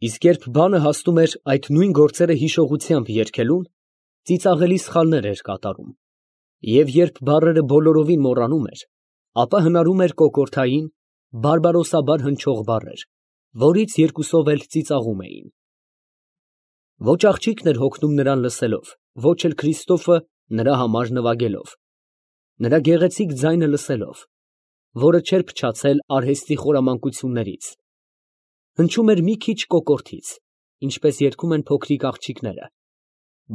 Իսկ երբ բանը հասնում էր այդ նույն գործերը հիշողությամբ երգելուն, ծիծաղելի սխալներ էր կատարում, և երբ բառերը բոլորովին մոռանում էր, ապա հնարում էր կոկորդային, բարբարոսաբար հնչող բառեր, որից երկուսով էլ ծիծաղում էին։ Ոչ աղջիկն էր հոգնում նրան լսելով, ոչ էլ Քրիստոֆը նրա համար նվագելով, նրա գեղեցիկ ձայնը լսելով, որը չէր փչացել արհեստի խորամանկություններից, հնչում էր մի քիչ կոկորդից, ինչպես երգում են փոքրիկ աղջիկները,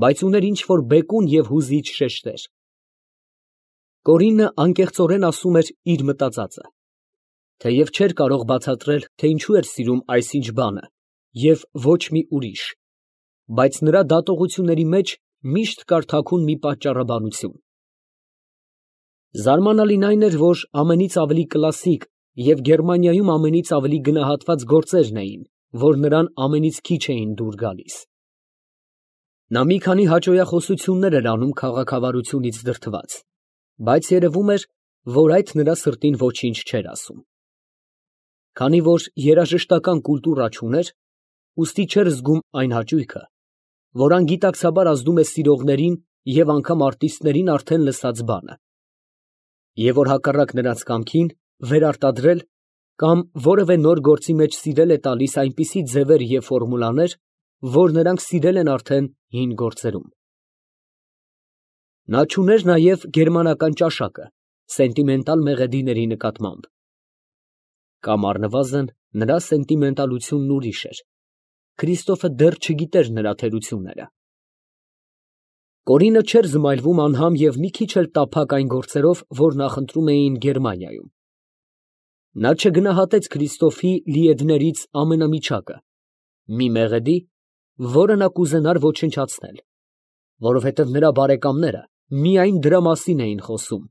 բայց ուներ ինչ֊որ բեկուն և հուզիչ շեշտեր։ Կորինը անկեղծորեն ասում էր իր մտածածը, թեև չէր կարող բացատրել, թե ինչու էր սիրում այսինչ բանը և ոչ մի ուրիշ, բայց նրա դատողությունների մեջ միշտ կար թաքուն մի պատճառաբանություն։ Զարմանալին այն էր, որ ամենից ավելի կլասիկ և Գերմանիայում ամենից ավելի գնահատված գործերն էին, որ նրան ամենից քիչ էին դուր գալիս։ Նա մի քանի հաճոյախոսություններ էր անում քաղաքավարությունից դրդված, բայց երևում էր, որ այդ նրա սրտին ոչինչ չէր ասում։ Քանի որ երաժշտական կուլտուրա չուներ, ուստի չէր զգում այն հաճույքը, որ անգիտակցաբար ազդում է սիրողներին և անգամ արտիստներին արդեն լսած բանը, և որ հակառակ նրանց կամքին վերարտադրել կամ որևէ նոր գործի մեջ սիրել է տալիս այնպիսի ձևեր և ֆորմուլաներ, որ նրանք սիրել են արդեն հին գործերում։ Նա չուներ նաև գերմանական ճաշակը սենտիմենտալ մեղեդիների նկատմամբ, կամ առնվազն նրա սենտիմենտալությունն ուրիշ էր, Քրիստոֆը դեռ չգիտեր նրա թերությունները։ Կորինը չէր զմայլվում անհամ և մի քիչ էլ տափակ այն գործերով, որ նախընտրում էին Գերմանիայում։ Նա չգնահատեց Քրիստոֆի լիեդներից ամենամիջակը, մի մեղեդի, որը նա կուզենար ոչնչացնել, որովհետև նրա բարեկամները միայն դրա մասին էին խոսում,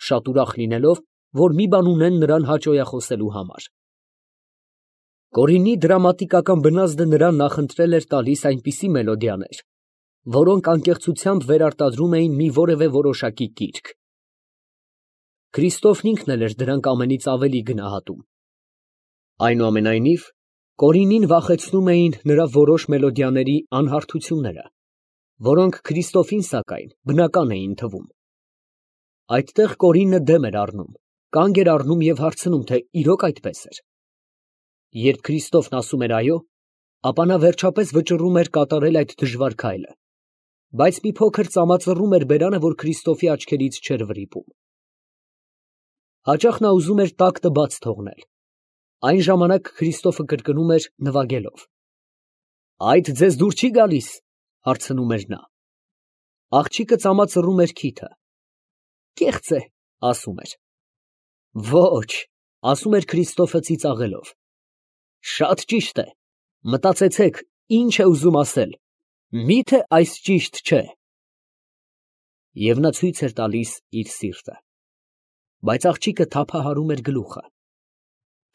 շատ ուրախ լինելով, որ մի բան ունեն նրան հաճոյախոսելու համար։ Կորինի դրամատիկական բնազդը նրան նախընտրել էր տալիս այնպիսի մելոդիաներ, որոնք անկեղծությամբ վերարտադրում էին մի որևէ որոշակի կիրք։ Քրիստոֆն ինքն էլ էր դրանք ամենից ավելի գնահատում։ Այնուամենայնիվ, Կորինին վախեցնում էին նրա որոշ մելոդիաների անհարթությունները, որոնք Քրիստոֆին, սակայն, բնական էին թվում։ Այդտեղ Կորինը դեմ էր առնում, կանգ էր առնում և հարցնում, թե իրոք այդպես էր։ Երբ Քրիստոֆն ասում էր այո, ապա նա վերջապես վճռում էր կատարել այդ դժվար քայլը, բայց մի փոքր ծամածռում էր բերանը, որ Քրիստոֆի աչքերից չէր վրիպում։ Հաճախ նա ուզում էր տակտը բաց թողնել։ Այն ժամանակ Քրիստոֆը կրկնում էր նվագելով. «Այդ ձեզ դուր չի գալիս», հարցնում էր նա։ Աղջիկը ծամածռում էր քիթը։ «Կեղծ է», ասում էր։ «Ոչ», ասում էր Քրիստոֆը ծիծաղելով։ «Շատ ճիշտ է, մտածեցեք, ինչ է ուզում ասել, մի՞թե այս ճիշտ չէ»։ Եվ նա ցույց էր տալիս իր սիրտը։ Բայց աղջիկը թափահարում էր գլուխը։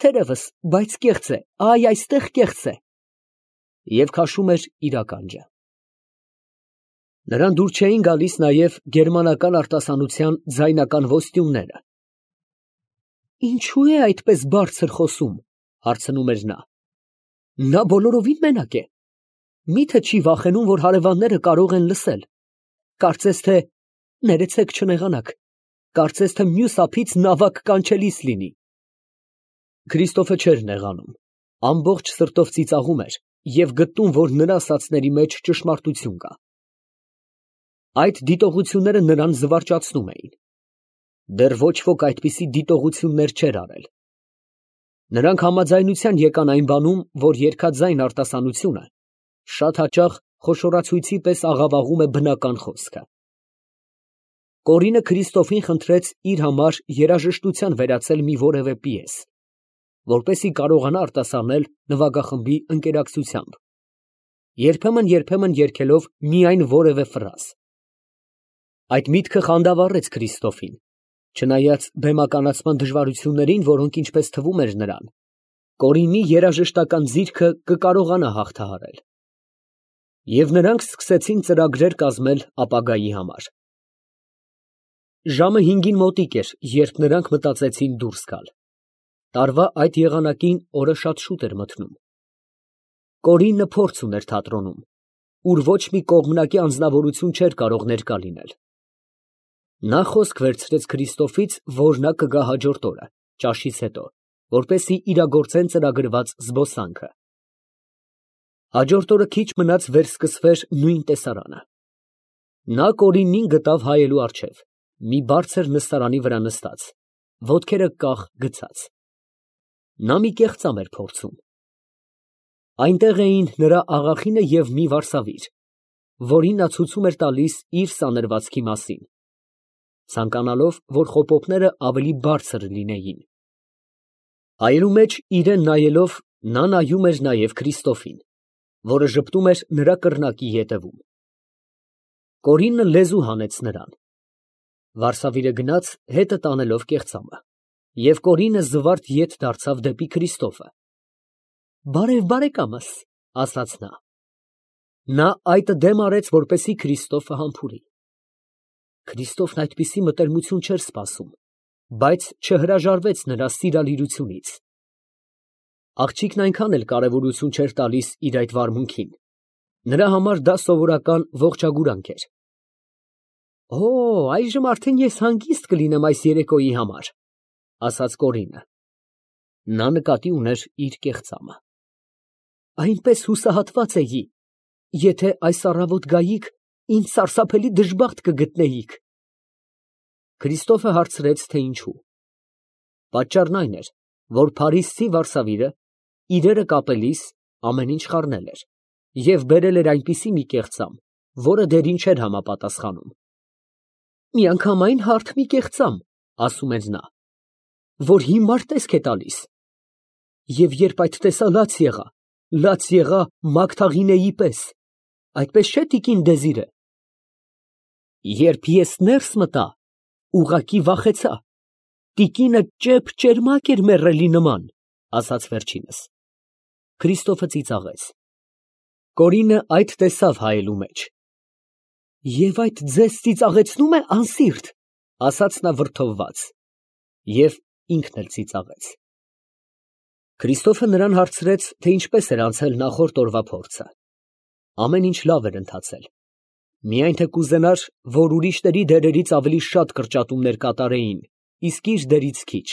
«Թերևս, բայց կեղծ է, այ այստեղ կեղծ է», և քաշում էր իր ականջը։ Նրան դուր չէին գալիս նաև գերմանական արտասանության ձայնական ոստյումները։ «Ինչո՞ւ է այդպես բարձր խոսում», հարցնում էր նա։ «Նա բոլորովին մենակ է։ Մի՞թե չի վախենում, որ հարևանները կարող են լսել։ Կարծես թե, ներեցեք չնեղանաք, կարծես թե մյուս ափից նավակ կանչելիս լինի»։ Քրիստոֆը չէր նեղանում, ամբողջ սրտով ծիծաղում էր և գտնում, որ նրա ասածների մեջ ճշմարտություն կա։ Այդ դիտողությունները նրան զվարճացնում էին։ Դեռ ոչ ոք այդպիսի դիտողություններ չէր արել։ Նրանք համաձայնության եկան այն բանում, որ երգաձայն արտասանությունը շատ հաճախ խոշորացույցի պես աղավաղում է բնական խոսքը։ Կորինը Քրիստոֆին խնդրեց իր համար երաժշտության վերածել մի որևէ պիես, որպեսզի կարողանա արտասանել նվագախմբի ընկերակցությամբ, երբեմն երգելով միայն որևէ ֆրազ։ Այդ միտքը խանդավառեց Քրիստոֆին, չնայած բեմականացման դժվարություններին, որոնք, ինչպես թվում էր նրան, Կորինի երաժշտական ձիրքը կկարողանա հաղթահարել։ Եվ նրանք սկսեցին ծրագրեր կազմել ապագայի համար։ Ժամը 5-ին մոտիկ էր, երբ նրանք մտածեցին դուրս գալ։ Տարվա այդ եղանակին օրը շատ շուտ էր մթնում։ Կորինը փորձ ուներ թատրոնում, ուր ոչ մի կողմնակի անձնավորություն չէր կարող ներկա լինել։ Նա խոսք վերցրեց Քրիստոֆից, որ նա կգա հաջորդ օրը, ճաշից հետո, որպեսզի իրագործեն ծրագրված զբոսանքը։ Հաջորդ օրը քիչ մնաց վերսկսվեր նույն տեսարանը։ Նա Կորինին գտավ հայելու առջև, մի բարձր նստարանի վրա նստած, ոտքերը կախ գցած։ Նա մի կեղծամ էր փորձում։ Այնտեղ էին նրա աղախինը և մի վարսավիր, որին նա ցույցում էր տալիս իր սանրվածքի մասին, ցանկանալով, որ խոպոպները ավելի բարձր լինեին։ Հայելու մեջ իրեն նայելով, նա նայում էր նաև Քրիստոֆին, որը ժպտում էր նրա կռնակի ետևում։ Կորինը լեզու հանեց նրան։ Վարսավիրը գնաց, հետը տանելով կեղծամը, և Կորինը զվարթ ետ դարձավ դեպի Քրիստոֆը։ «Բարև, բարեկամս», ասաց նա։ Նա այտը դեմ արեց, որպեսզի Քրիստոֆը համբուրի։ Քրիստոֆն այդպիսի մտերմություն չէր սպասում, բայց չհրաժարվեց նրա սիրալիրությունից։ Աղջիկն այնքան էլ կարևորություն չէր տալիս իր այդ վարմունքին։ Նրա համար դա սովորական ողջագուրանք էր։ «Օ, այժմ արդեն ես հանգիստ կլինեմ այս երեկոյի համար», ասաց Կորինը։ Նա նկատի ուներ իր կեղծամը։ «Այնպես հուսահատված էի, եթե այս առավոտ գայիք, ինձ սարսափելի դժբախտ կգտնեիք»։ Քրիստոֆը հարցրեց, թե ինչու։ Պատճառն այն էր, որ փարիսցի վարսավիրը իրերը կապելիս ամեն ինչ խառնել էր և բերել էր այնպիսի մի կեղծամ, որը դերին չէր համապատասխանում։ «Միանգամայն հարթ մի կեղծամ», ասում էր նա, «որ հիմար տեսք է տալիս։ Եվ երբ այդ տեսա, լաց եղա Մագդաղինեի պես, այդպես չէ, տիկին Դեզիրե։ Երբ ես ներս մտա, ուղղակի վախեցա, տիկինը ճեպ-ճերմակ էր մեռելի նման», ասաց վերջինս։ Քրիստոֆը ծիծաղեց։ Կորինը այդ տեսավ հայելու մեջ։ «Եվ այդ ձեզ ծիծաղեցնում է անսիրտ», ասաց նա վրդովված, և ինքն էլ ծիծաղեց։ Քրիստոֆը նրան հարցրեց, թե ինչպես էր անցել նախորդ օրվա փորձը։ Ամեն ինչ լավ էր ընթացել։ Միայն թե կուզենար, որ ուրիշների դերերից ավելի շատ կրճատումներ կատարեին, իսկ իր դերից քիչ։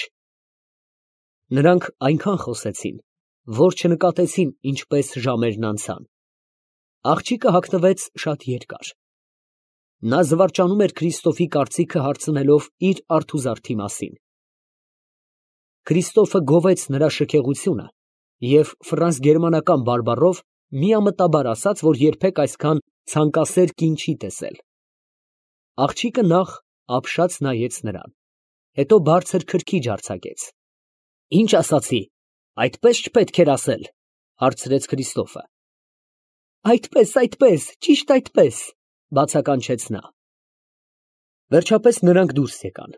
Նրանք այնքան խոսեցին, որ չնկատեցին ինչպես ժամերն անցան։ Աղջիկը հագնվեց շատ երկար։ Նա զվարճանում էր Քրիստոֆի կարծիքը հարցնելով իր արթուզարդի մասին։ Քրիստոֆը գովեց նրա շքեղությունը և ֆրանս֊գերմանական բարբառով միամտաբար ասաց, որ երբեք այսքան ցանկասեր կին չի տեսել։ Աղջիկը նախ ապշած նայեց նրան, հետո բարձր քրքիջ արձակեց։ «Ինչ ասացի, այդպես չպետք էր ասել», հարցրեց Քրիստոֆը։ Այդպես, ճիշտ այդպես, բացականչեց նա։ Վերջապես նրանք դուրս եկան։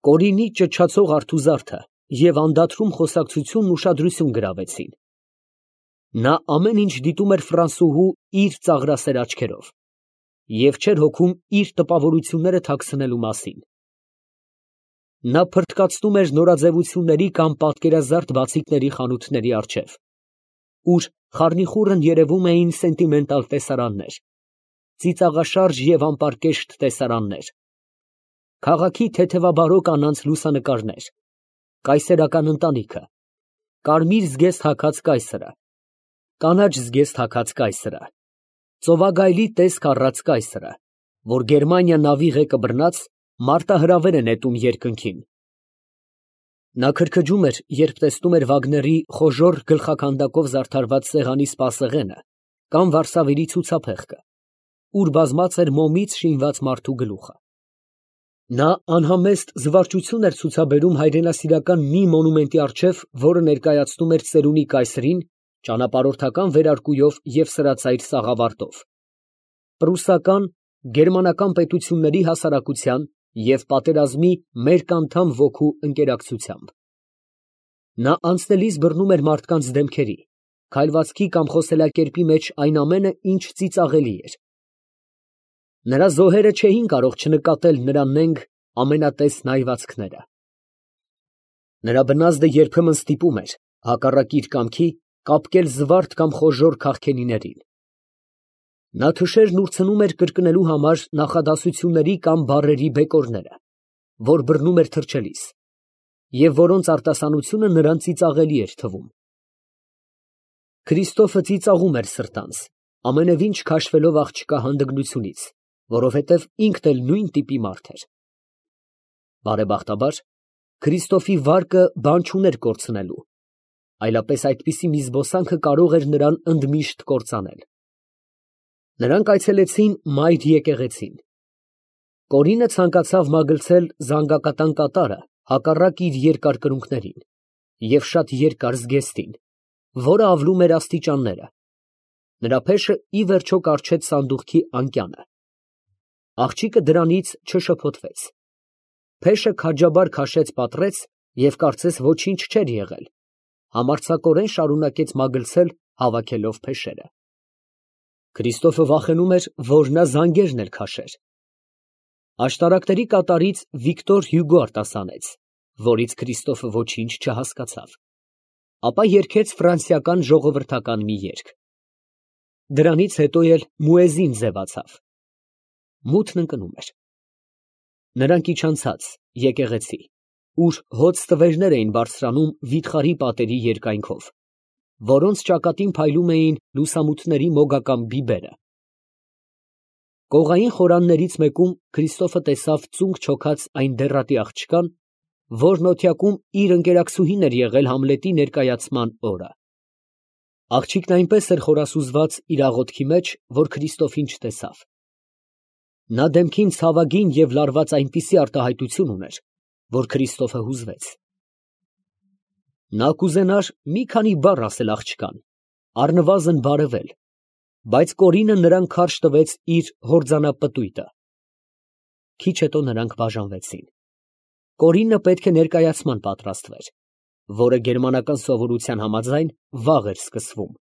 Կորինի ճչացող արթուզարդը և անդադրում խոսակցությունն ուշադրություն գրավեցին։ Նա ամեն ինչ դիտում էր ֆրանսուհու իր ծաղրասեր աչքերով և չէր հոգում իր տպավորությունները թաքցնելու մասին։ Նա փրթկացնում էր նորաձևությունների կամ պատկերազարդ բացիկների խանութների առջև, ուր խառնիխուռն երևում էին սենտիմենտալ տեսարաններ, ծիծաղաշարժ և անպարկեշտ տեսարաններ, քաղաքի թեթևաբարո կանանց լուսանկարներ, կայսերական ընտանիքը, կարմիր զգեստ հագած կայսրը, կանաչ զգեստ հագած կայսրը, ծովագայլի տեսք առած կայսրը, որ Գերմանիա նավի ղեկը բռնած մարտահրավեր է նետում երկնքին։ Նա քրքջում էր, երբ տեսնում էր Վագների խոժոռ գլխաքանդակով զարդարված սեղանի սպասեղենը կամ վարսավիրի ցուցափեղկը, ուր բազմած էր մոմից շինված մարդու գլուխը։ Նա անհամեստ զվարճություն էր ցուցաբերում հայրենասիրական մի մոնումենտի առջև, որը ներկայացնում էր ծերունի կայսրին ճանապարհորդական վերարկուով և սրածայր սաղավարտով, պրուսական, գերմանական պետությունների հասարակության և պատերազմի մերկ անդամ ոգու ընկերակցությամբ։ Նա անցնելիս բռնում էր մարդկանց դեմքերի, քայլվածքի կամ խոսելակերպի մեջ այն ամենը, ինչ ծիծաղելի էր։ Նրա զոհերը չէին կարող չնկատել նրա նենգ ամենատես նայվածքները։ Նրա բնազդը երբեմն ստիպում էր, հակառակ իր կամքի, կապկել զվարթ կամ խոժոռ քաղքենիներին։ Նա թշերն ուրցնում էր կրկնելու համար նախադասությունների կամ բառերի բեկորները, որ բռնում էր թռչելիս, և որոնց արտասանությունը նրան ծիծաղելի էր թվում։ Քրիստոֆը ծիծաղում էր սրտանց, ամենևին չքաշվելով աղջկա հանդգնությունից, որովհետև ինքն էլ նույն տիպի մարդ էր։ Բարեբախտաբար, Քրիստոֆի վարկը բան չուներ կորցնելու, այլապես այդպիսի մի զբոսանքը կարող էր նրան ընդմիշտ կործանել։ Նրանք այցելեցին մայր եկեղեցին։ Կորինը ցանկացավ մագլցել զանգակատան կատարը հակառակ իր երկար կրունկներին և շատ երկար զգեստին, որը ավլում էր աստիճանները։ Նրա փեշը ի վերջո կառչեց սանդուղքի անկյանը։ Աղջիկը դրանից չշփոթվեց։ Փեշը քաջաբար քաշեց պատռեց և կարծես ոչինչ չէր եղել, համարձակորեն շարունակեց մագլցել, հավաքելով փեշերը։ Քրիստոֆը վախենում էր, որ նա զանգերն էլ քաշեր։ Աշտարակների կատարից Վիկտոր Հյուգո արտասանեց, որից Քրիստոֆը ոչինչ չհասկացավ, ապա երգեց ֆրանսիական ժողովրդական մի երգ։ Դրանից հետո էլ մուեզին ձևացավ։ Մութն ընկնում էր։ Նրանք իջան ցած եկեղեցի, ուր հոծ ստվերներ էին բարձրանում վիթխարի պատերի երկայնքով, որոնց ճակատին փայլում էին լուսամուտների մոգական բիբերը։ Կողային խորաններից մեկում Քրիստոֆը տեսավ ծունկ չոքած այն դեռատի աղջկան, որն օթյակում իր ընկերակցուհին էր եղել Համլետի ներկայացման օրը։ Աղջիկն այնպես էր խորասուզված իր աղոթքի մեջ, որ Քրիստոֆին չտեսավ։ Նա դեմքին ցավագին և լարված այնպիսի արտահայտություն ուներ, որ Քրիստոֆը հուզվեց։ Նա կուզենար մի քանի բառ ասել աղջկան, առնվազն բարևել, բայց Կորինը նրան քարշ տվեց իր հորձանապտույտը։ Քիչ հետո նրանք բաժանվեցին։ Կորինը պետք է ներկայացման պատրաստվեր, որը գերմանական սովորության համաձայն վաղ էր սկսվում։